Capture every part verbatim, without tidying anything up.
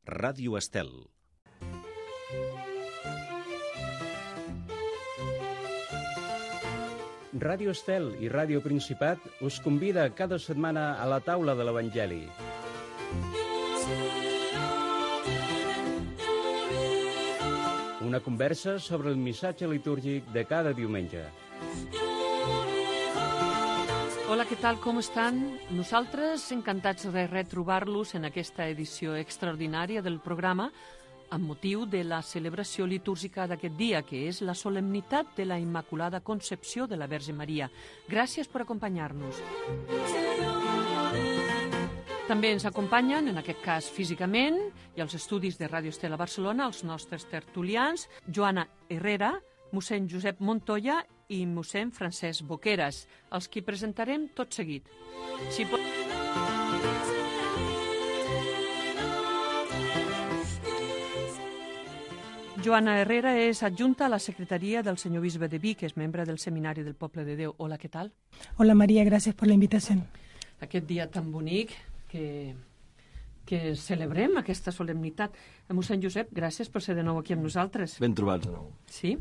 Ràdio Estel. Ràdio Estel i Ràdio Principat us convida cada setmana a la taula de l'Evangeli. Una conversa sobre el missatge litúrgic de cada diumenge. Hola, què tal, com estan? Nosaltres encantats de retrobar-los en aquesta edició extraordinària del programa amb motiu de la celebració litúrgica d'aquest dia, que és la solemnitat de la Immaculada Concepció de la Verge Maria. Gràcies per acompanyar-nos. També ens acompanyen, en aquest cas físicament, i als estudis de Ràdio Estel a Barcelona, els nostres tertulians, Joana Herrera, mossèn Josep Montoya i mossèn Francesc Boqueras, els qui presentarem tot seguit. Si pot... Joana Herrera és adjunta a la secretaria del senyor bisbe de Vic, que és membre del Seminari del Poble de Déu. Hola, què tal? Hola, Maria, gràcies per la invitació. Aquest dia tan bonic que, que celebrem aquesta solemnitat. Mossèn Josep, gràcies per ser de nou aquí amb nosaltres. Ben trobats de nou. Sí,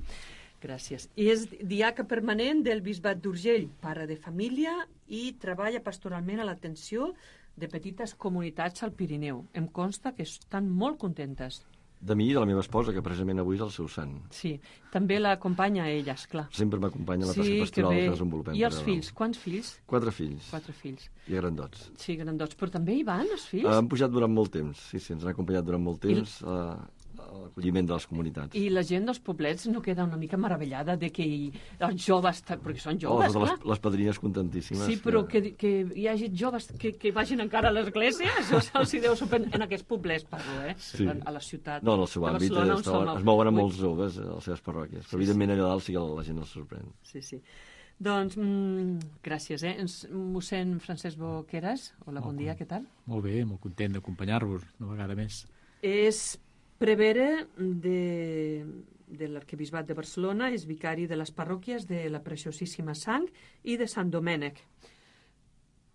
gràcies. I és diaca permanent del Bisbat d'Urgell, pare de família i treballa pastoralment a l'atenció de petites comunitats al Pirineu. Em consta que estan molt contentes. De mi i de la meva esposa, que precisament avui és el seu sant. Sí, també l'acompanya a ella, esclar. Sempre m'acompanya la tasca sí, pastoral que, que desenvolupem. I els fills? Quants fills? Quatre fills. Quatre fills. I grandots. Sí, grandots. Però també hi van, els fills? Uh, han pujat durant molt temps, sí, sí, ens han acompanyat durant molt temps I... a, a l'acolliment de les comunitats. I la gent dels poblets no queda una mica meravellada de que hi, els joves, perquè són joves, oh, clar. Les, les padrines contentíssimes. Sí, però que, que hi hagi joves que, que vagin encara a l'església, això se'ls deu sorprendre. En aquests poblets, parlo, eh? Sí. A la ciutat. No, en el seu àmbit Barcelona, es, es, es mouen a molts joves a les seves parròquies, però sí, evidentment sí. allà dalt sí que la gent els sorprèn. Sí, sí. Doncs, mm, gràcies, eh? Mossèn Francesc Boqueras, hola, bon dia, què tal? Molt bé, molt content d'acompanyar-vos una vegada més. És prevere de, de l'Arquebisbat de Barcelona, és vicari de les parròquies de la Preciosíssima Sang i de Sant Domènec.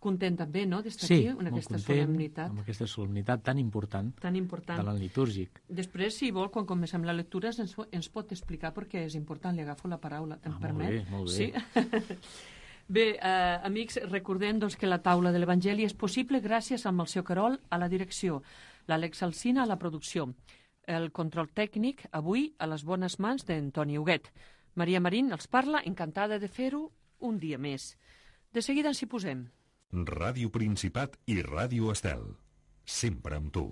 Content també, no?, d'estar sí, aquí en aquesta content, solemnitat. amb aquesta solemnitat tan important, tan important de l'any litúrgic. Després, si vol, quan comencem la lectura, ens, ens pot explicar per què és important. Li agafo la paraula, em ah, permet? Molt bé, molt bé. Sí? Bé, eh, amics, recordem doncs, que la taula de l'Evangeli és possible gràcies a Melcior Querol a la direcció, l'Àlex Alsina a la producció, el control tècnic, avui, a les bones mans d'Antoni Huguet. Maria Marín els parla, encantada de fer-ho un dia més. De seguida ens hi posem. Ràdio Principat i Ràdio Estel. Sempre amb tu.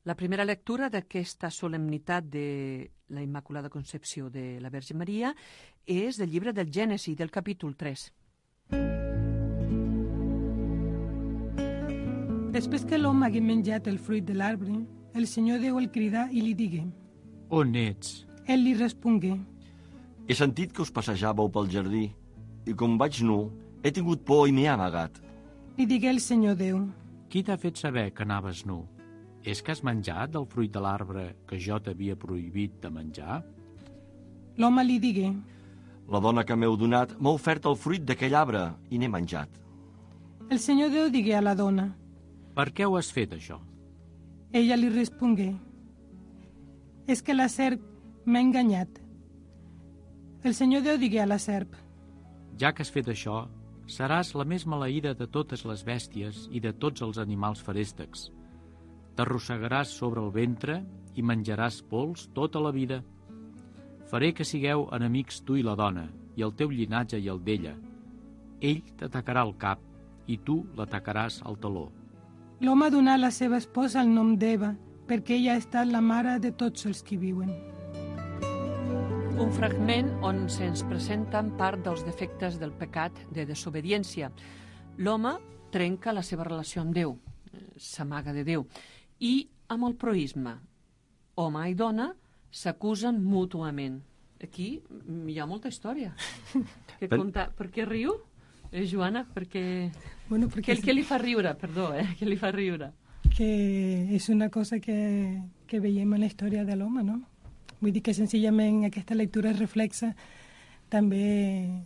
La primera lectura d'aquesta solemnitat de la Immaculada Concepció de la Verge Maria és del llibre del Gènesi, del capítol tres. Després que l'home hagué menjat el fruit de l'arbre, el Senyor Déu el cridà i li digué: On ets? Ell li respongué: He sentit que us passejàveu pel jardí, i com vaig nu, he tingut por i m'he amagat. Li digué el Senyor Déu: Qui t'ha fet saber que anaves nu? És que has menjat del fruit de l'arbre que jo t'havia prohibit de menjar? L'home li digué: La dona que m'heu donat m'ha ofert el fruit d'aquell arbre i n'he menjat. El Senyor Déu digué a la dona: Per què ho has fet, això? Ella li respongué: És que la serp m'ha enganyat. El Senyor Déu digué a la serp: Ja que has fet això, seràs la més maleïda de totes les bèsties i de tots els animals feréstecs. T'arrossegaràs sobre el ventre i menjaràs pols tota la vida. Faré que sigueu enemics tu i la dona, i el teu llinatge i el d'ella. Ell t'atacarà el cap, i tu l'atacaràs al taló. L'home donà a la seva esposa el nom d'Eva, perquè ella ha estat la mare de tots els que viuen. Un fragment on se'ns presenten part dels defectes del pecat de desobediència. L'home trenca la seva relació amb Déu, s'amaga de Déu, i amb el proïsme. Home i dona s'acusen mútuament. Aquí hi ha molta història. Que conta... Per què riu? Eh, Joana, perquè... Bueno, perquè... Què, què li fa riure? Perdó, eh? Què li fa riure? Que és una cosa que, que veiem en la història de l'home, no? Vull dir que senzillament aquesta lectura reflexa també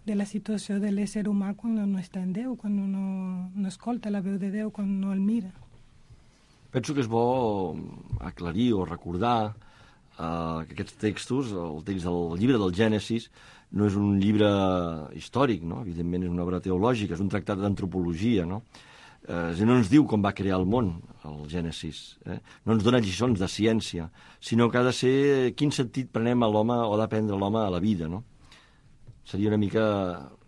de la situació de l'ésser humà quan no està en Déu, quan no, no escolta la veu de Déu, quan no el mira. Penso que és bo aclarir o recordar uh, que aquests textos, el text del llibre del Gènesis, no és un llibre històric, no? Evidentment és una obra teològica, és un tractat d'antropologia, no? Eh, no ens diu com va crear el món, el Gènesis. Eh? No ens dona lliçons de ciència, sinó que ha de ser quin sentit prenem a l'home o ha d'aprendre l'home a la vida, no? Seria una mica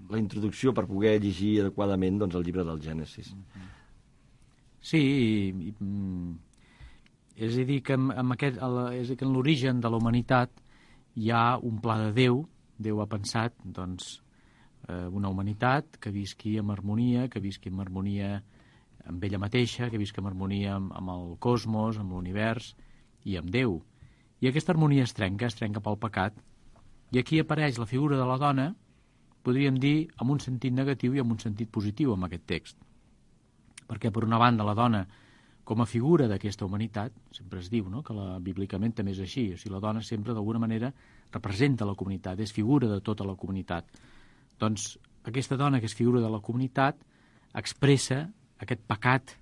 la introducció per poder llegir adequadament doncs, el llibre del Gènesis. Sí, i, i, és a dir que, amb aquest, és a dir que en l'origen de la humanitat hi ha un pla de Déu. Déu ha pensat doncs, una humanitat que visqui en harmonia, que visqui en harmonia amb ella mateixa, que visqui en harmonia amb, amb el cosmos, amb l'univers i amb Déu. I aquesta harmonia es trenca, es trenca pel pecat. I aquí apareix la figura de la dona, podríem dir, amb un sentit negatiu i amb un sentit positiu en aquest text. Perquè, per una banda, la dona, com a figura d'aquesta humanitat, sempre es diu, no?, que la, bíblicament també és així, o sigui, la dona sempre, d'alguna manera, representa la comunitat, és figura de tota la comunitat. Doncs aquesta dona que és figura de la comunitat expressa aquest pecat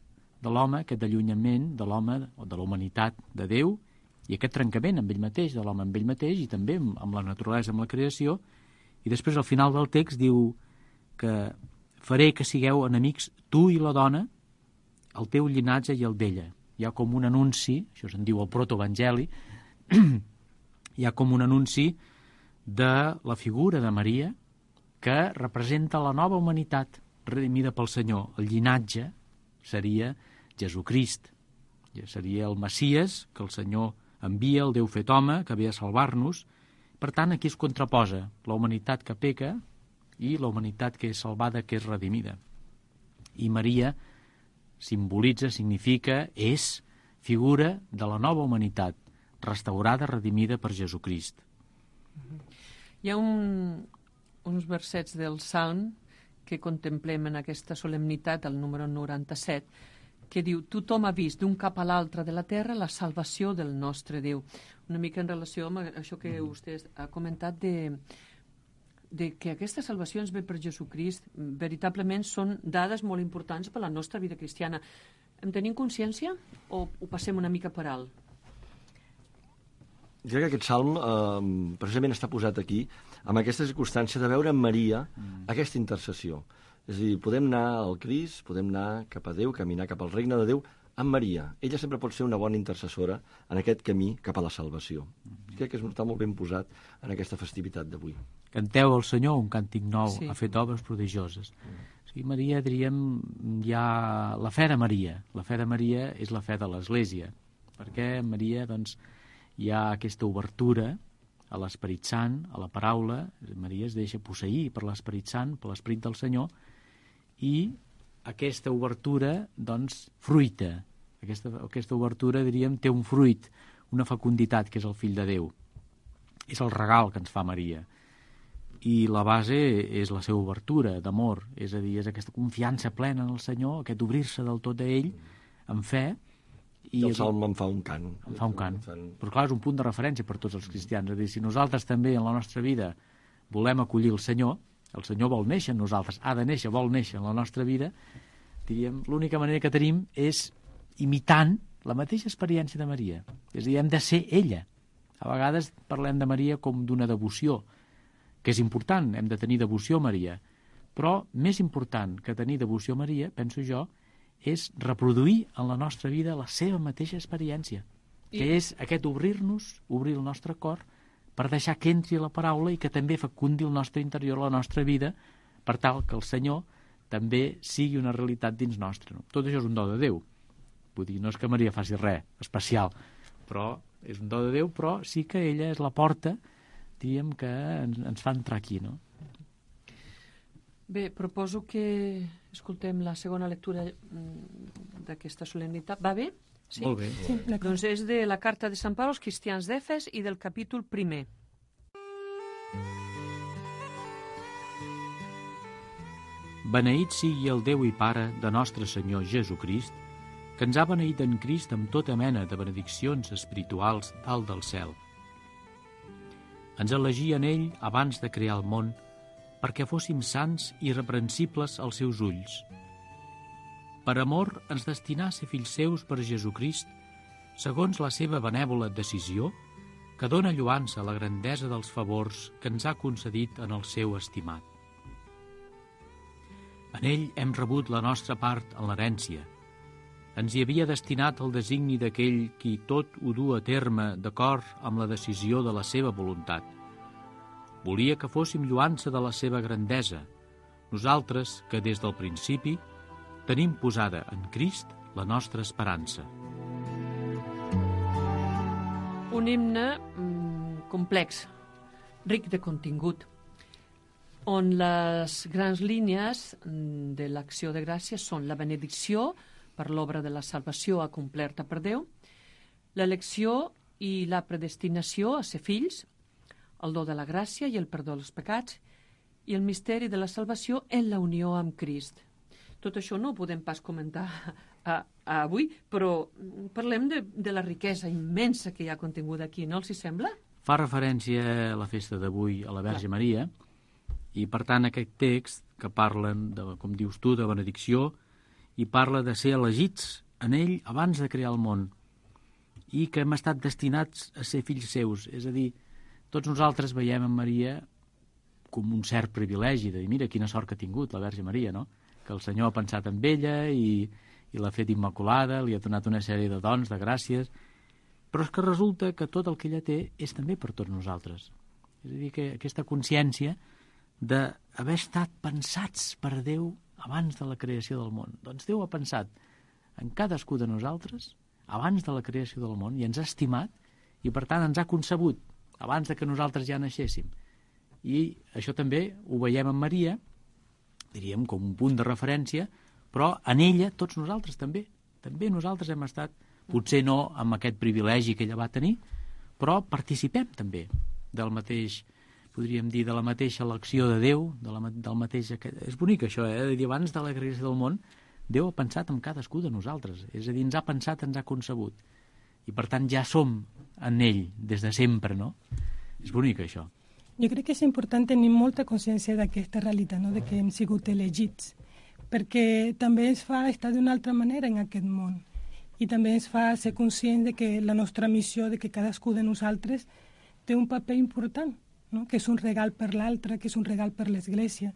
de l'home, aquest allunyament de l'home o de la humanitat de Déu i aquest trencament amb ell mateix, de l'home amb ell mateix i també amb la naturalesa, amb la creació. I després al final del text diu que faré que sigueu enemics tu i la dona, el teu llinatge i el d'ella. Hi ha com un anunci, això se'n diu el protoevangeli, hi ha com un anunci de la figura de Maria que representa la nova humanitat redimida pel Senyor. El llinatge seria Jesucrist, seria el Messies que el Senyor envia, el Déu fet home, que ve a salvar-nos. Per tant, aquí es contraposa la humanitat que peca i la humanitat que és salvada, que és redimida. I Maria simbolitza, significa, és figura de la nova humanitat, restaurada, redimida per Jesucrist. Hi ha un, uns versets del Salm que contemplem en aquesta solemnitat, el número noranta-set, que diu: tothom ha vist d'un cap a l'altre de la terra la salvació del nostre Déu. Una mica en relació amb això que vostè ha comentat de, de que aquesta salvació ens ve per Jesucrist, veritablement són dades molt importants per la nostra vida cristiana. En tenim consciència o ho passem una mica per alt? Jo crec que aquest salm eh, precisament està posat aquí amb aquesta circumstància de veure en Maria mm. aquesta intercessió. És a dir, podem anar al Crist, podem anar cap a Déu, caminar cap al regne de Déu amb Maria. Ella sempre pot ser una bona intercessora en aquest camí cap a la salvació. Mm. Crec que està molt ben posat en aquesta festivitat d'avui. Canteu al Senyor un càntic nou, sí. Ha fet obres prodigioses. Mm. O sigui, Maria, diríem, hi ha la fe de Maria. La fe de Maria és la fe de l'Església, perquè Maria, doncs, hi ha aquesta obertura a l'Esperit Sant, a la paraula. Maria es deixa posseir per l'Esperit Sant, per l'Esperit del Senyor, i aquesta obertura, doncs, fruita. Aquesta, aquesta obertura, diríem, té un fruit, una fecunditat, que és el fill de Déu. És el regal que ens fa Maria. I la base és la seva obertura d'amor, és a dir, és aquesta confiança plena en el Senyor, aquest obrir-se del tot a ell, amb fe. I el salm en fa un cant. En fa un cant. Però clar, és un punt de referència per tots els cristians. És a dir, si nosaltres també en la nostra vida volem acollir el Senyor, el Senyor vol néixer en nosaltres, ha de néixer, vol néixer en la nostra vida, diríem, l'única manera que tenim és imitant la mateixa experiència de Maria. És a dir, hem de ser ella. A vegades parlem de Maria com d'una devoció, que és important, hem de tenir devoció a Maria. Però més important que tenir devoció a Maria, penso jo, és reproduir en la nostra vida la seva mateixa experiència, que I... és aquest obrir-nos, obrir el nostre cor, per deixar que entri la paraula i que també fecundi el nostre interior, la nostra vida, per tal que el Senyor també sigui una realitat dins nostre. No? Tot això és un do de Déu. Vull dir, no és que Maria faci res especial, però és un do de Déu, però sí que ella és la porta, diríem, que ens, ens fa entrar aquí, no? Bé, proposo que escoltem la segona lectura d'aquesta solemnitat. Va bé? Sí? Molt bé. Sí, doncs és de la carta de Sant Pau als cristians d'Efes i del capítol primer. Beneït sigui el Déu i Pare de nostre Senyor Jesucrist, que ens ha beneït en Crist amb tota mena de benediccions espirituals dalt del cel. Ens elegí en ell abans de crear el món, perquè fóssim sants i irreprensibles als seus ulls. per amor ens destinà a ser fills seus per Jesucrist, segons la seva benèvola decisió, que dóna lloança a la grandesa dels favors que ens ha concedit en el seu estimat. En ell hem rebut la nostra part en l'herència. Ens hi havia destinat el designi d'aquell qui tot ho du a terme d'acord amb la decisió de la seva voluntat. Volia que fóssim lloança de la seva grandesa, nosaltres que des del principi tenim posada en Crist la nostra esperança. Un himne mm, complex, ric de contingut, on les grans línies de l'acció de gràcia són la benedicció per l'obra de la salvació acomplerta per Déu, l'elecció i la predestinació a ser fills, el do de la gràcia i el perdó dels pecats, i el misteri de la salvació en la unió amb Crist. Tot això no ho podem pas comentar a, a avui, però parlem de, de la riquesa immensa que hi ha continguda aquí, no els hi sembla? Fa referència a la festa d'avui a la Verge Clar. Maria, i per tant aquest text que parlen, de, com dius tu, de benedicció, i parla de ser elegits en ell abans de crear el món, i que hem estat destinats a ser fills seus. És a dir, tots nosaltres veiem en Maria com un cert privilegi, de dir, mira quina sort que ha tingut la Verge Maria, no? Que el Senyor ha pensat en ella i, i l'ha fet immaculada, li ha donat una sèrie de dons, de gràcies, però és que resulta que tot el que ella té és també per tots nosaltres. És a dir, que aquesta consciència d'haver estat pensats per Déu abans de la creació del món. Doncs Déu ha pensat en cadascú de nosaltres abans de la creació del món i ens ha estimat i per tant ens ha concebut abans de que nosaltres ja naixéssim. I això també ho veiem en Maria, diríem com un punt de referència, però en ella tots nosaltres també. També nosaltres hem estat, potser no amb aquest privilegi que ella va tenir, però participem també del mateix, podríem dir, de la mateixa elecció de Déu, de la, del mateix... És bonic això, eh? De dir, abans de la creació del món, Déu ha pensat en cadascú de nosaltres. És a dir, ens ha pensat, ens ha concebut. I per tant ja som en ell des de sempre, no? És bonic això. Jo crec que és important tenir molta consciència d'aquesta realitat, no? De que hem sigut elegits, perquè també ens fa estar d'una altra manera en aquest món i també ens fa ser conscients de que la nostra missió, de que cadascú de nosaltres té un paper important, no? Que és un regal per l'altre, que és un regal per l'Església.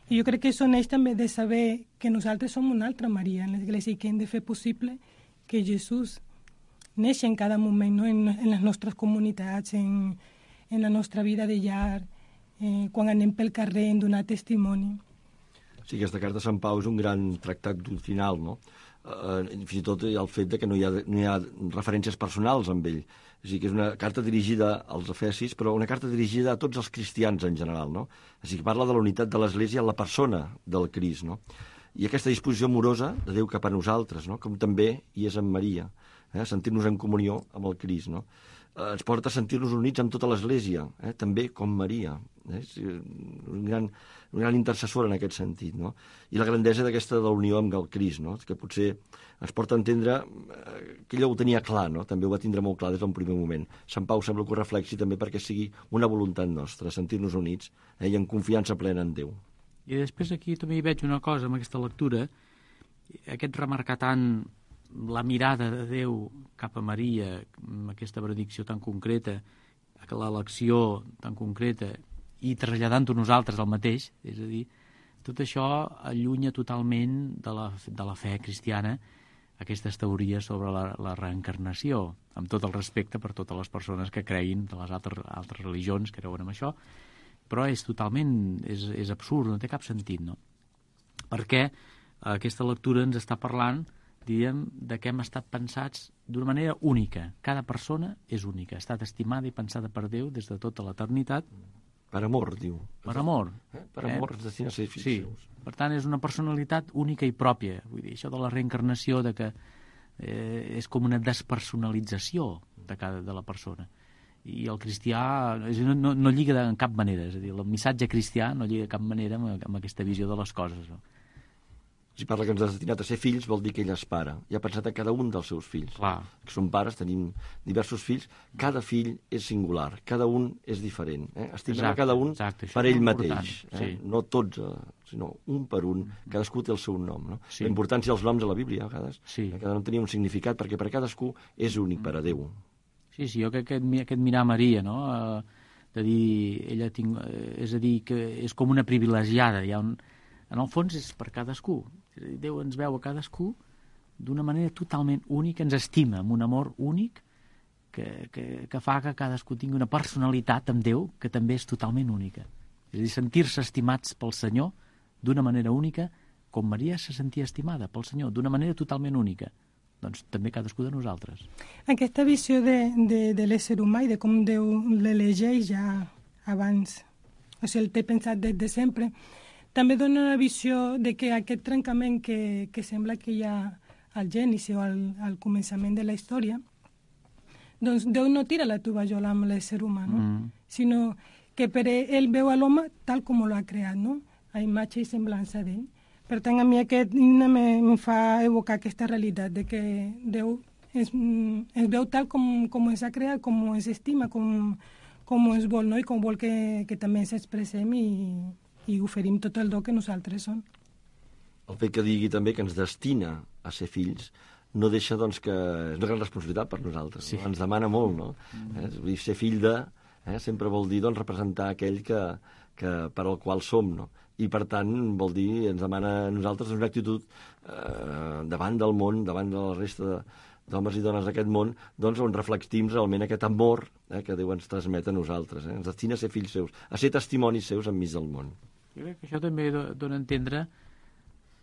I jo crec que això neix també de saber que nosaltres som una altra Maria en l'Església i que hem de fer possible que Jesús neixi en cada moment, no? en, en les nostres comunitats, en en la nostra vida de llar, eh, quan anem pel carrer en donar testimoni. Sí, aquesta carta de Sant Pau és un gran tractat doctrinal, no? Eh, fins i tot el fet de que no hi ha, no hi ha referències personals amb ell. És a dir, que és una carta dirigida als efesis, però una carta dirigida a tots els cristians en general, no? És a dir, que parla de la unitat de l'Església en la persona del Crist, no? I aquesta disposició amorosa de Déu cap a nosaltres, no? Com també hi és en Maria, eh? Sentir-nos en comunió amb el Crist, no? Ens porta a sentir-nos units amb tota l'Església, eh? També com Maria. Eh? És un gran, un gran intercessor en aquest sentit, no? I la grandesa d'aquesta de la unió amb el Crist, no? Que potser ens porta a entendre que ella ho tenia clar, no? També ho va tindre molt clar des d'un primer moment. Sant Pau sembla que ho reflexi també perquè sigui una voluntat nostra, sentir-nos units, eh? I en confiança plena en Déu. I després aquí també hi veig una cosa amb aquesta lectura, aquest remarcar tant la mirada de Déu cap a Maria, amb aquesta benedicció tan concreta, l'elecció tan concreta, i traslladant-ho nosaltres al mateix, és a dir, tot això allunya totalment de la, de la fe cristiana aquestes teories sobre la, la reencarnació, amb tot el respecte per totes les persones que creguin de les altres, altres religions que creuen en això, però és totalment, és, és absurd, no té cap sentit, no? Perquè aquesta lectura ens està parlant, diríem, de que hem estat pensats d'una manera única. Cada persona és única, ha estat estimada i pensada per Déu des de tota l'eternitat. Per amor, diu. Per amor. Eh? Per amor ens destina a ser fills sí. seus. Per tant, és una personalitat única i pròpia. Vull dir, això de la reencarnació, de que eh, és com una despersonalització de cada de la persona. I el cristià no, no, no lliga de, en cap manera. És a dir, el missatge cristià no lliga de cap manera amb, amb aquesta visió de les coses, no? Si parla que ens ha destinat a ser fills, vol dir que ell és pare. I ha pensat en cada un dels seus fills. Clar. Que som pares, tenim diversos fills. Cada fill és singular, cada un és diferent. Eh? Estimem a cada un exacte, per ell mateix. Eh? Sí. No tots eh, sinó un per un, cadascú té el seu nom, no? Sí. La importància dels noms a la Bíblia, a vegades, Sí. que cada nom tenia un significat, perquè per cadascú és únic per a Déu. Sí, sí, jo crec que aquest, aquest mirar Maria, no?, eh, de dir, ella tinc, eh, és a dir, que és com una privilegiada, hi ha un, en el fons és per cadascú. Déu ens veu a cadascú d'una manera totalment única, ens estima amb un amor únic que, que, que fa que cadascú tingui una personalitat amb Déu que també és totalment única. És a dir, sentir-se estimats pel Senyor d'una manera única, com Maria se sentia estimada pel Senyor, d'una manera totalment única. Doncs també cadascú de nosaltres. Aquesta visió de, de, de l'ésser humà i de com Déu l'elegeix ja abans, o sigui, el té pensat des de sempre, també dona una visió de que aquest trencament que, que sembla que hi ha al gènesi o al, al començament de la història, doncs Déu no tira la tovallola amb l'ésser humà, no? Mm. Sinó que per ell veu a l'home tal com l'ha creat, no? A imatge i semblança d'ell. Per tant, a mi aquest himne em fa evocar aquesta realitat de que Déu es, es veu tal com, com ens ha creat, com ens estima, com, com ens vol, no? I com vol que, que també ens expressem i, i oferim tot el do que nosaltres som. El fet que digui també que ens destina a ser fills no deixa, doncs, que és una gran responsabilitat per nosaltres. Sí. No? Ens demana molt, no? Mm. Eh? Vull dir, ser fill de... Eh? Sempre vol dir, doncs, representar aquell que, que, per al qual som, no? I, per tant, vol dir, ens demana a nosaltres una actitud eh, davant del món, davant de la resta d'homes i dones d'aquest món, doncs, on reflectim realment aquest amor eh, que Déu ens transmet a nosaltres. Eh? Ens destina a ser fills seus, a ser testimonis seus enmig del món. Jo crec que això també dona a entendre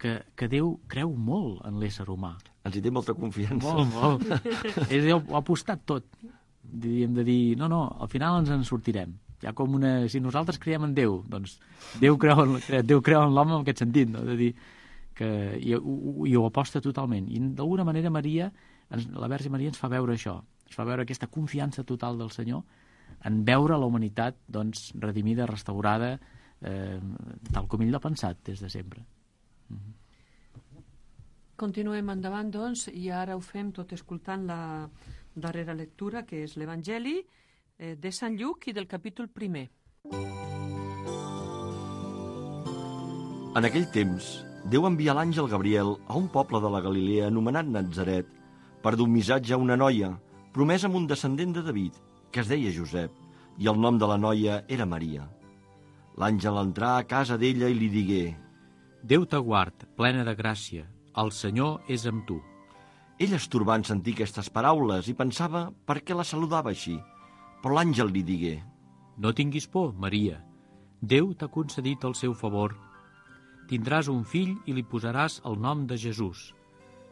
que, que Déu creu molt en l'ésser humà. Ens hi té molta confiança. Molt, molt. Ell ho ha apostat tot. Diríem de dir, no, no, al final ens en sortirem. Hi ha com una... Si nosaltres creiem en Déu, doncs Déu creu en, Déu creu en l'home en aquest sentit, no? De dir que... I, i ho aposta totalment. I d'alguna manera Maria, ens, la Verge Maria ens fa veure això. Ens fa veure aquesta confiança total del Senyor en veure la humanitat, doncs, redimida, restaurada, eh, tal com ell l'ha pensat des de sempre. Mm-hmm. Continuem endavant, doncs, i ara ho fem tot escoltant la darrera lectura, que és l'Evangeli eh, de Sant Lluc i del capítol primer. En aquell temps, Déu envia l'àngel Gabriel a un poble de la Galilea anomenat Natzaret per dur un missatge a una noia, promesa amb un descendent de David, que es deia Josep, i el nom de la noia era Maria. L'àngel entrà a casa d'ella i li digué: Déu t'aguard, plena de gràcia, el Senyor és amb tu. Ella es torbà en sentir aquestes paraules i pensava per què la saludava així. Però l'àngel li digué: No tinguis por, Maria. Déu t'ha concedit el seu favor. Tindràs un fill i li posaràs el nom de Jesús.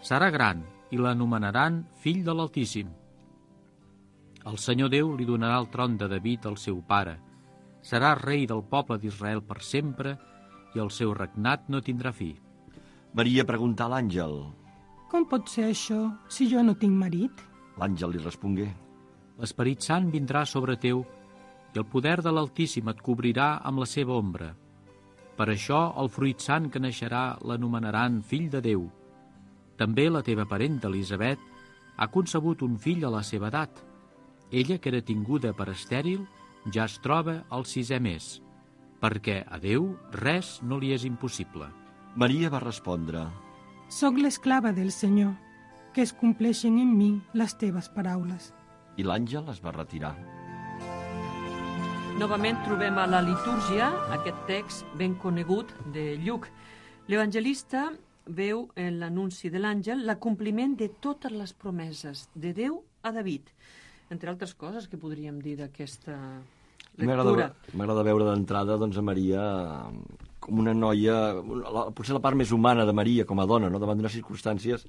Serà gran i l'anomenaran fill de l'Altíssim. El Senyor Déu li donarà el tron de David, el seu pare. Serà rei del poble d'Israel per sempre i el seu regnat no tindrà fi. Maria preguntà a l'àngel: Com pot ser això si jo no tinc marit? L'àngel li respongué: L'Esperit Sant vindrà sobre teu i el poder de l'Altíssim et cobrirà amb la seva ombra. Per això el fruit sant que naixerà l'anomenaran fill de Déu. També la teva parenta Elisabet ha concebut un fill a la seva edat. Ella, que era tinguda per estèril, ja es troba al sisè mes, perquè a Déu res no li és impossible. Maria va respondre: Soc l'esclava del Senyor, que es compleixen en mi les teves paraules. I l'àngel es va retirar. Novament trobem a la litúrgia aquest text ben conegut de Lluc. L'evangelista veu en l'anunci de l'àngel l'acompliment de totes les promeses de Déu a David. Entre altres coses que podríem dir d'aquesta lectura. M'agrada veure d'entrada, doncs, a Maria com una noia, la, potser la part més humana de Maria com a dona, no? Davant d'unes circumstàncies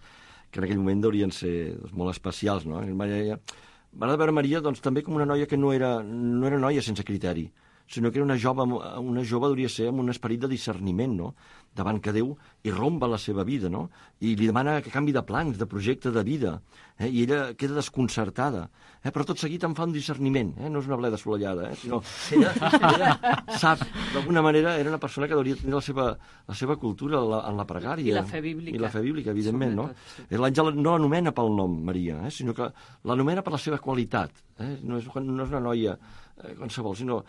que en aquell moment deurien ser, doncs, molt especials, no? M'agrada veure Maria, doncs, també com una noia que no era, no era noia sense criteri, sinó que era una jove, una jove hauria de ser amb un esperit de discerniment, no? Davant que Déu irrompa la seva vida, no? I li demana que canvi de plans, de projecte de vida, eh? I ella queda desconcertada, eh? Però tot seguit en fa un discerniment, eh? No és una bleda assolellada, eh? Sinó ella, ella sap, d'alguna manera, era una persona que hauria de tenir la seva, la seva cultura en la, en la pregària. I la fe bíblica. I la fe bíblica, evidentment, no? Sí. L'àngel no l'anomena pel nom, Maria, eh? Sinó que l'anomena per la seva qualitat, Eh? No, és, no és una noia eh, qualsevol, sinó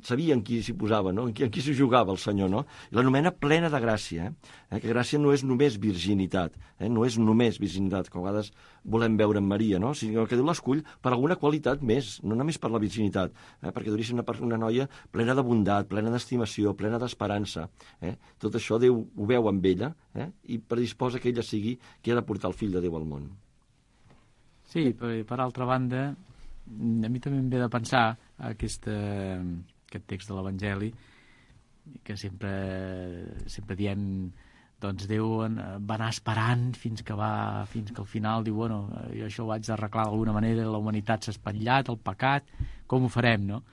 sabia en qui s'hi posava, no? en qui, en qui s'hi jugava el senyor, no? I l'anomena plena de gràcia, eh? eh? que gràcia no és només virginitat, eh? no és només virginitat, que a vegades volem veure en Maria, no? Sinó que Déu l'escull per alguna qualitat més, no només per la virginitat, eh? perquè hauria de ser una, una noia plena de bondat, plena d'estimació, plena d'esperança. Eh? Tot això Déu ho veu amb ella eh? i predisposa que ella sigui qui ha de portar el fill de Déu al món. Sí, per, per altra banda, a mi també em ve de pensar aquesta, aquest text de l'Evangeli, que sempre, sempre diem, doncs Déu va anar esperant fins que va, fins que al final diu, bueno, jo això ho haig d'arreglar d'alguna manera, la humanitat s'ha espatllat, el pecat, com ho farem, no?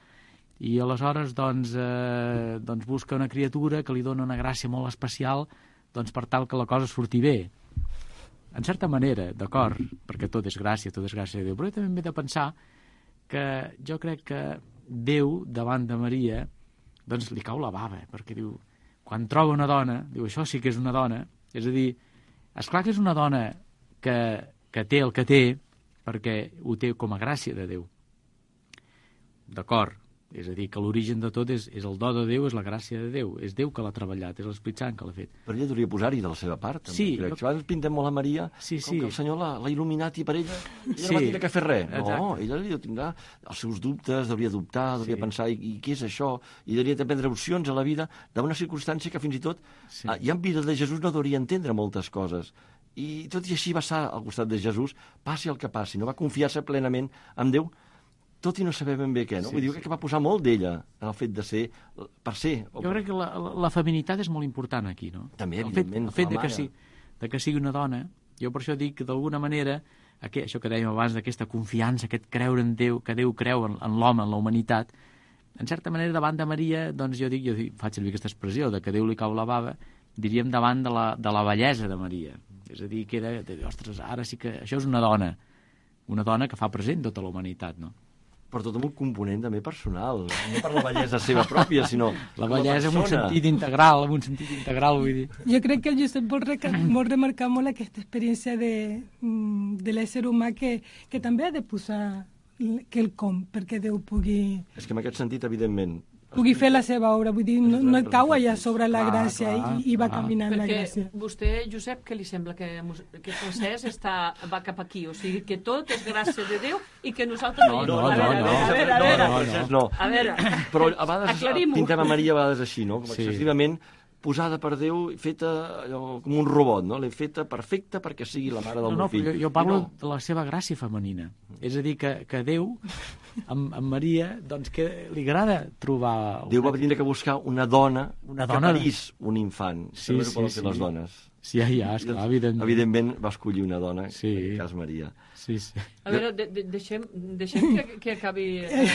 I aleshores, doncs, eh, doncs busca una criatura que li dona una gràcia molt especial, doncs per tal que la cosa surti bé. En certa manera, d'acord, perquè tot és gràcia, tot és gràcia de Déu, però també m'he de pensar que jo crec que Déu, davant de Maria, doncs li cau la bava, perquè diu, quan troba una dona, diu, això sí que és una dona, és a dir, esclar que és una dona que, que té el que té, perquè ho té com a gràcia de Déu. D'acord, és a dir, que l'origen de tot és, és el do de Déu, és la gràcia de Déu, és Déu que l'ha treballat, és l'Esperit Sant que l'ha fet. Però ella hauria posar-hi de la seva part, també, sí, crec. jo... Si abans pintem molt a Maria, sí, com sí. que el Senyor l'ha il·luminat i per ella, ella sí. no va tindre que fer res. Exacte. No, ella li tindrà els seus dubtes, hauria dubtar, hauria sí. pensar, i, i què és això? I hauria de prendre opcions a la vida d'una circumstància que fins i tot, sí. ja en vida de Jesús no hauria entendre moltes coses. I tot i així va estar al costat de Jesús, passi el que passi, no va confiar-se plenament en Déu, tot i no saber ben bé què, no? Sí, Vull dir sí. que va posar molt d'ella en el fet de ser, per ser... Jo crec que la, la, la feminitat és molt important aquí, no? També, el fet, evidentment. El fet de que, si, de que sigui una dona, jo per això dic que d'alguna manera, aquest, això que dèiem abans, d'aquesta confiança, aquest creure en Déu, que Déu creu en, en l'home, en la humanitat, en certa manera, davant de Maria, doncs jo dic, jo dic, faig servir aquesta expressió, de que Déu li cau la bava, diríem davant de la, de la bellesa de Maria. És a dir, que era, de, ostres, ara sí que això és una dona, una dona que fa present tota la humanitat, no? Però tot amb un component també personal, no per la bellesa seva pròpia, sinó la bellesa en un sentit integral, en un sentit integral, vull dir. Jo crec que el Josep vol, vol remarcar molt aquesta experiència de, de l'ésser humà que, que també ha de posar quelcom perquè Déu pugui... És que en aquest sentit, evidentment... pugui fer la seva obra, vull dir, no, no et cau allà sobre la clar, gràcia clar, i, i va clar. caminant Perquè la gràcia. Vostè, Josep, què li sembla? Que, que Francesc està, va cap aquí, o sigui, que tot és gràcia de Déu i que nosaltres... No, no, no, no, no, no, a veure, a veure, no, no, no. a veure, però a vegades pintem a Maria a vegades així, no? Com sí. excessivament posada per Déu, feta allò, com un robot, no? L'he feta perfecta perquè sigui la mare del no, meu no, fill. Jo, jo parlo no. de la seva gràcia femenina. És a dir, que, que Déu, amb, amb Maria, doncs que li agrada trobar... Déu va tindre que buscar una dona, una dona que parís un infant. Sí, sí, sí, sí. les dones. Sí, ja, ja, esclar, evidentment. Evidentment va escollir una dona, sí. en aquest cas Maria. Sí, sí. A veure, de, de, deixem, deixem que, que acabi... Eh,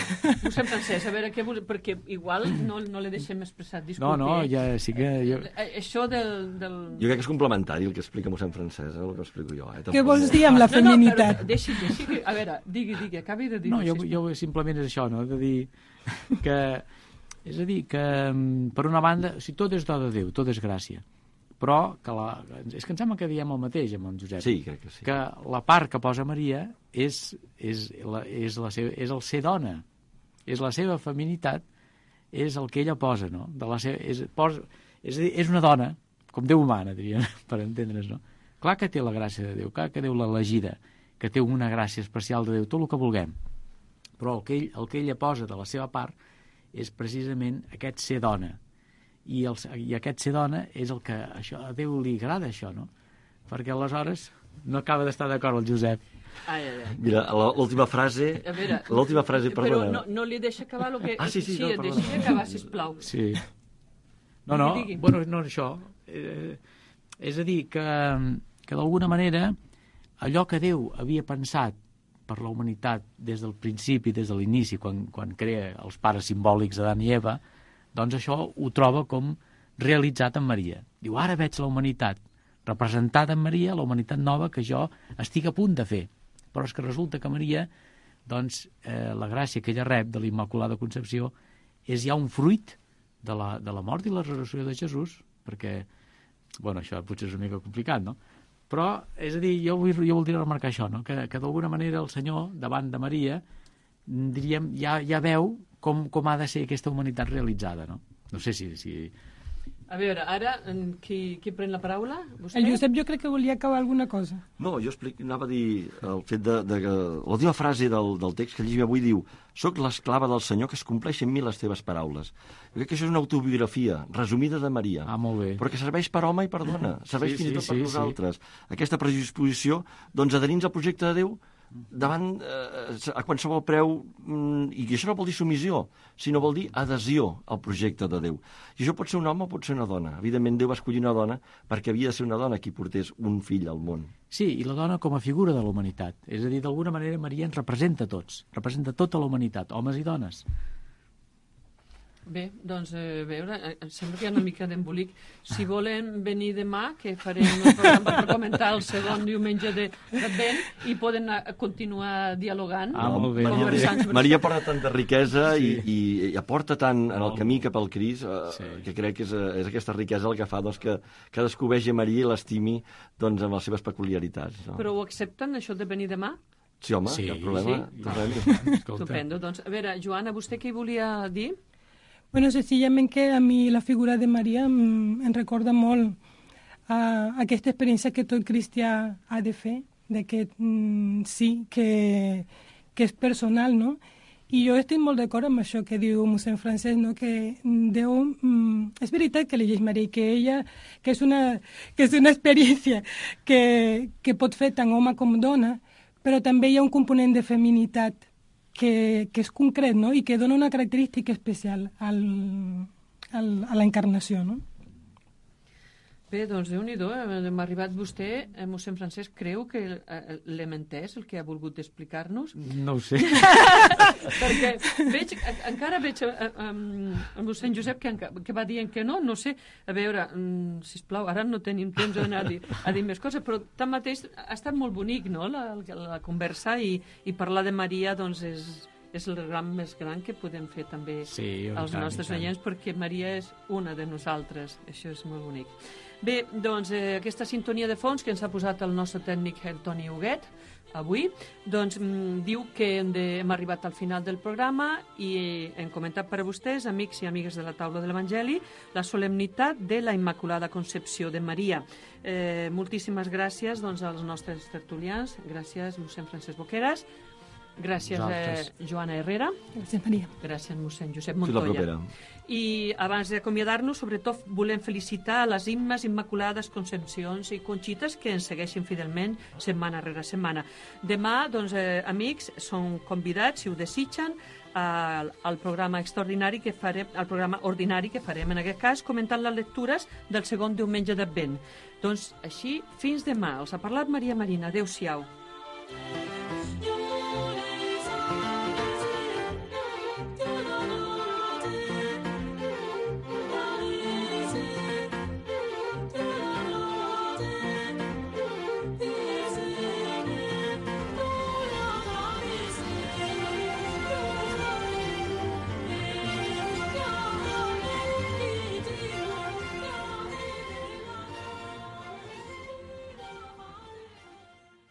Mossèn Francesc, a veure, què, perquè igual no, no le deixem expressar, disculpi. No, no, ja sí que... Jo... Eh, això del, del... Jo crec que és complementari el que explica mossèn Francesc, el que explico jo. Eh? Què vols dir amb la feminitat? No, no, però deixi, deixi, que, a veure, digui, digui, acabi de dir... No, jo, jo simplement és això, no?, de dir que... És a dir, que per una banda, si tot és do de Déu, tot és gràcia, però que la, és que em sembla que diem el mateix amb en Josep. Sí, crec que sí. Que la part que posa Maria és, és, la, és, la seva, és el ser dona, és la seva feminitat, és el que ella posa, no? De la seva, és, posa, és, a dir, és una dona, com Déu humana, diríem, per entendre's, no? Clar que té la gràcia de Déu, clar que Déu l'ha elegida, que té una gràcia especial de Déu, tot el que vulguem. Però el que, ell, el que ella posa de la seva part és precisament aquest ser dona. I, el, i aquest ser dona és el que això, a Déu li agrada això, no? Perquè aleshores no acaba d'estar d'acord el Josep. Ai, ai, ai. Mira, l'última frase... L'última frase, perdona. Però no, no li deixa acabar el que... Ah, sí, sí, sí, no, deixi acabar, sisplau. Sí. No, no, digui, digui. Bueno, no això. Eh, és a dir, que, que d'alguna manera allò que Déu havia pensat per la humanitat des del principi, des de l'inici, quan, quan crea els pares simbòlics d'Adam i Eva, doncs això ho troba com realitzat en Maria. Diu, ara veig la humanitat representada en Maria, la humanitat nova que jo estic a punt de fer. Però és que resulta que Maria, doncs, eh, la gràcia que ella rep de la Immaculada Concepció és ja un fruit de la, de la mort i la resurrecció de Jesús, perquè, bueno, això potser és una mica complicat, no? Però, és a dir, jo, vull, jo voldria remarcar això, no? Que, que d'alguna manera el Senyor, davant de Maria, diríem, ja, ja veu com, com ha de ser aquesta humanitat realitzada, no? No sé si... si... A veure, ara, qui, qui pren la paraula? Vostè? El Josep jo crec que volia acabar alguna cosa. No, jo explic, anava a dir el fet de, de que l'última frase del, del text que llegim avui diu: «Soc l'esclava del Senyor, que es compleixen en mi les teves paraules». Jo crec que això és una autobiografia resumida de Maria, ah, molt bé. però que serveix per home i per dona, serveix sí, fins i tot sí, per sí, nosaltres. Sí. Aquesta predisposició, doncs, adherint al projecte de Déu davant eh, a qualsevol preu, mm, i això no vol dir submissió, sinó vol dir adhesió al projecte de Déu. I això pot ser un home o pot ser una dona. Evidentment, Déu va escollir una dona perquè havia de ser una dona qui portés un fill al món. Sí, i la dona com a figura de la humanitat. És a dir, d'alguna manera Maria ens representa a tots, representa tota la humanitat, homes i dones. Bé, doncs, eh, veure, em sembla que hi ha una mica d'embolic. Si volen venir demà, que farem un programa per comentar el segon diumenge de d'Advent i poden a, a continuar dialogant. Ah, molt bé. Maria, Maria porta tanta riquesa sí. i, i, i aporta tant en el camí cap al Crist, eh, sí. que crec que és, és aquesta riquesa el que fa doncs, que cadascú vegi Maria i l'estimi doncs, amb les seves peculiaritats. No? Però ho accepten, això de venir demà? Sí, home, sí, cap problema. Sí. Estupendo. Doncs, a veure, Joana, vostè què hi volia dir? Bueno, sencillament que a mi la figura de Maria em, em recorda molt a aquesta experiència que tot cristià ha de fer, de que mm, sí, que, que és personal, no? I jo estic molt d'acord amb això que diu mossèn Francesc, no? Que Déu... Mm, és veritat que elegeix Maria, que ella, que és una, que és una experiència que, que pot fer tant home com dona, però també hi ha un component de feminitat que, que és concret, no? I que dona una característica especial al, al, a la encarnació, no? Bé, doncs, Déu-n'hi-do, m'ha arribat vostè, eh, mossèn Francesc, creu que eh, l'hem entès, el que ha volgut explicar-nos? No ho sé. Perquè veig, encara veig eh, eh, mossèn Josep que, que va dient que no, no sé, a veure, mm, sisplau, ara no tenim temps d'anar a, dir, a dir més coses, però tanmateix ha estat molt bonic, no?, la, la conversa, i, i parlar de Maria, doncs, és... és el ram més gran que podem fer també sí, als tant, nostres oients, perquè Maria és una de nosaltres. Això és molt bonic. Bé, doncs, eh, aquesta sintonia de fons que ens ha posat el nostre tècnic, el Toni Huguet, avui, doncs mm, diu que hem, de, hem arribat al final del programa i hem comentat per a vostès, amics i amigues de la taula de l'Evangeli, la solemnitat de la Immaculada Concepció de Maria. Eh, moltíssimes gràcies, doncs, als nostres tertulians. Gràcies, mossèn Francesc Boqueras. Gràcies, eh, Joana Herrera. Gràcies, Maria. Gràcies, mossèn Josep Fins la Montoya. propera. I abans d'acomiadar-nos, sobretot volem felicitar les Immes Immaculades, Concepcions i Conxites que ens segueixen fidelment setmana rere setmana. Demà, doncs, eh, amics, són convidats, si ho desitgen, al, al programa extraordinari que farem, al programa ordinari que farem, en aquest cas, comentant les lectures del segon diumenge d'Advent. Doncs així, fins demà. Els ha parlat Maria Marina. Adéu-siau.